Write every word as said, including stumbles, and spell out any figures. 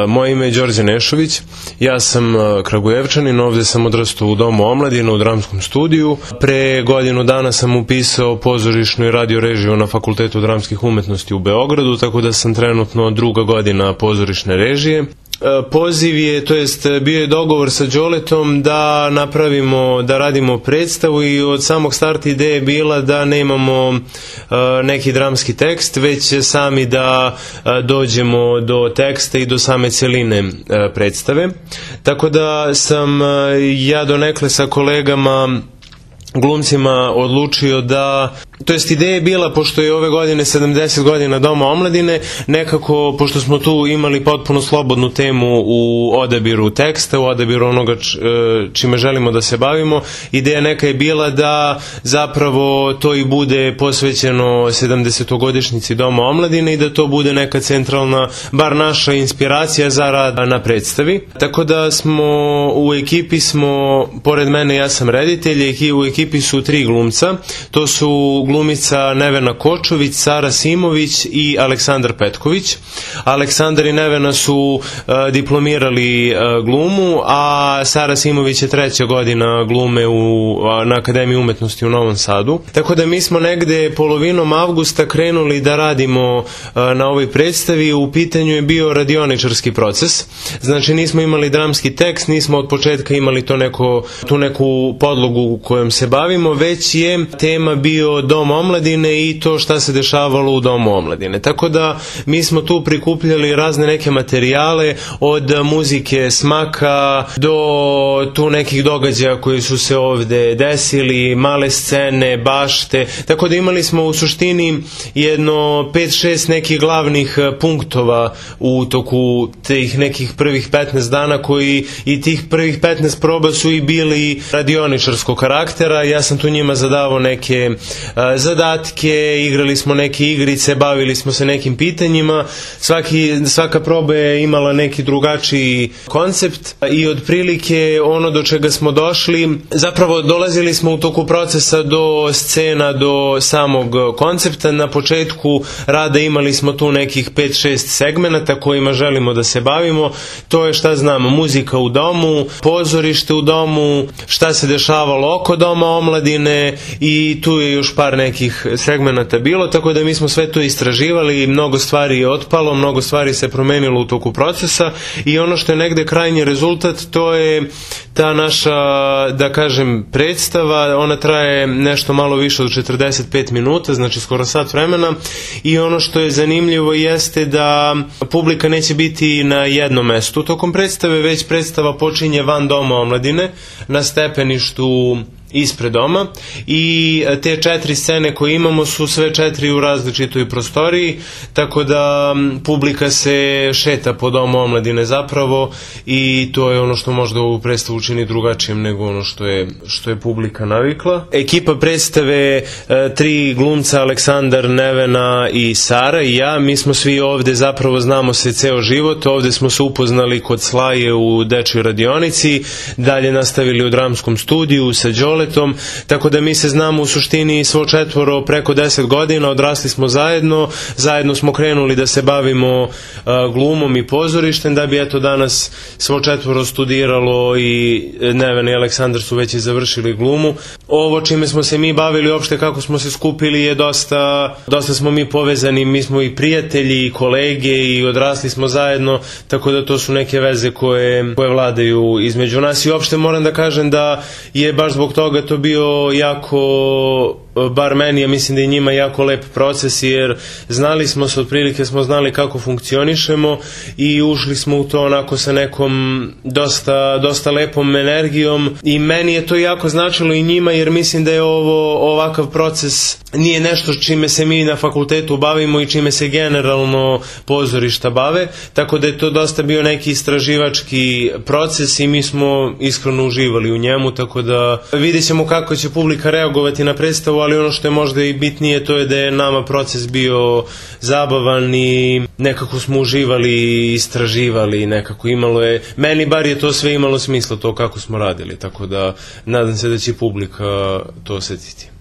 Moje ime je Đorđe Nešović, ja sam Kragujevčanin, ovde sam odrastao u Domu omladine u dramskom studiju. Pre godinu dana sam upisao pozorišnu i radio režiju na Fakultetu dramskih umetnosti u Beogradu, tako da sam trenutno druga godina pozorišne režije. Poziv je, to jest bio je dogovor sa Đoletom da napravimo, da radimo predstavu i od samog starta ideja je bila da nemamo neki dramski tekst, već sami da dođemo do teksta i do same celine predstave. Tako da sam ja donekle sa kolegama glumcima odlučio da, to jest ideja je bila, pošto je ove godine sedamdeset godina Doma omladine, nekako, pošto smo tu imali potpuno slobodnu temu u odabiru teksta, u odabiru onoga čime želimo da se bavimo, ideja neka je bila da zapravo to i bude posvećeno sedamdesetogodišnjici Doma omladine i da to bude neka centralna, bar naša inspiracija za rad na predstavi. Tako da smo u ekipi smo, pored mene ja sam reditelj, i u ekipi su tri glumca, to su glumica Nevena Kočović, Sara Simović i Aleksandar Petković. Aleksandar i Nevena su uh, diplomirali uh, glumu, a Sara Simović je treća godina glume u, uh, na Akademiji umetnosti u Novom Sadu. Tako da mi smo negde polovinom avgusta krenuli da radimo uh, na ovoj predstavi. U pitanju je bio radioničarski proces. Znači nismo imali dramski tekst, nismo od početka imali to neko, tu neku podlogu kojom se bavimo, već je tema bio Dom omladine i to šta se dešavalo u Domu omladine. Tako da mi smo tu prikupljali razne neke materijale, od muzike smaka do tu nekih događaja koji su se ovde desili, male scene, bašte, tako da imali smo u suštini jedno pet šest nekih glavnih punktova u toku tih nekih prvih petnaest dana, koji i tih prvih petnaest proba su i bili radioničarskog karaktera. Ja sam tu njima zadavao neke uh, zadatke, igrali smo neke igrice, bavili smo se nekim pitanjima. Svaki, svaka proba je imala neki drugačiji koncept i otprilike ono do čega smo došli, zapravo dolazili smo u toku procesa do scena, do samog koncepta. Na početku rada imali smo tu nekih pet šest segmenata kojima želimo da se bavimo. To je, šta znamo, muzika u domu, pozorište u domu, šta se dešavalo oko Doma omladine, i tu je još par nekih segmenata bilo, tako da mi smo sve to istraživali i mnogo stvari je otpalo, mnogo stvari se promenilo u toku procesa, i ono što je negde krajnji rezultat, to je ta naša, da kažem, predstava. Ona traje nešto malo više od četrdeset pet minuta, znači skoro sat vremena, i ono što je zanimljivo jeste da publika neće biti na jednom mestu tokom predstave, već predstava počinje van Doma omladine, na stepeništu ispred doma, i te četiri scene koje imamo su sve četiri u različitoj prostoriji, tako da publika se šeta po Domu omladine zapravo, i to je ono što možda ovu predstavu učini drugačijim nego ono što je, što je publika navikla. Ekipa predstave, tri glumca, Aleksandar, Nevena i Sara i ja, mi smo svi ovde, zapravo znamo se ceo život. Ovde smo se upoznali kod Slaje u dečjoj radionici, dalje nastavili u dramskom studiju sa Đole, tako da mi se znamo u suštini svo četvoro preko deset godina, odrasli smo zajedno, zajedno smo krenuli da se bavimo uh, glumom i pozorištem, da bi eto danas svo četvoro studiralo i Neven i Aleksandar su već i završili glumu. Ovo čime smo se mi bavili, uopšte kako smo se skupili, je dosta, dosta smo mi povezani, mi smo i prijatelji i kolege i odrasli smo zajedno, tako da to su neke veze koje, koje vladaju između nas, i uopšte moram da kažem da je baš zbog toga to bio jako, bar meni, ja mislim da je njima jako lep proces, jer znali smo se, otprilike smo znali kako funkcionišemo i ušli smo u to onako sa nekom dosta, dosta lepom energijom, i meni je to jako značilo i njima, jer mislim da je ovo, ovakav proces nije nešto čime se mi na fakultetu bavimo i čime se generalno pozorišta bave, tako da je to dosta bio neki istraživački proces i mi smo iskreno uživali u njemu, tako da vidjet ćemo kako će publika reagovati na predstavu, ali ono što je možda i bitnije, to je da je nama proces bio zabavan i nekako smo uživali i istraživali, nekako imalo je, meni bar je to sve imalo smisla, to kako smo radili, tako da nadam se da će publika to osetiti.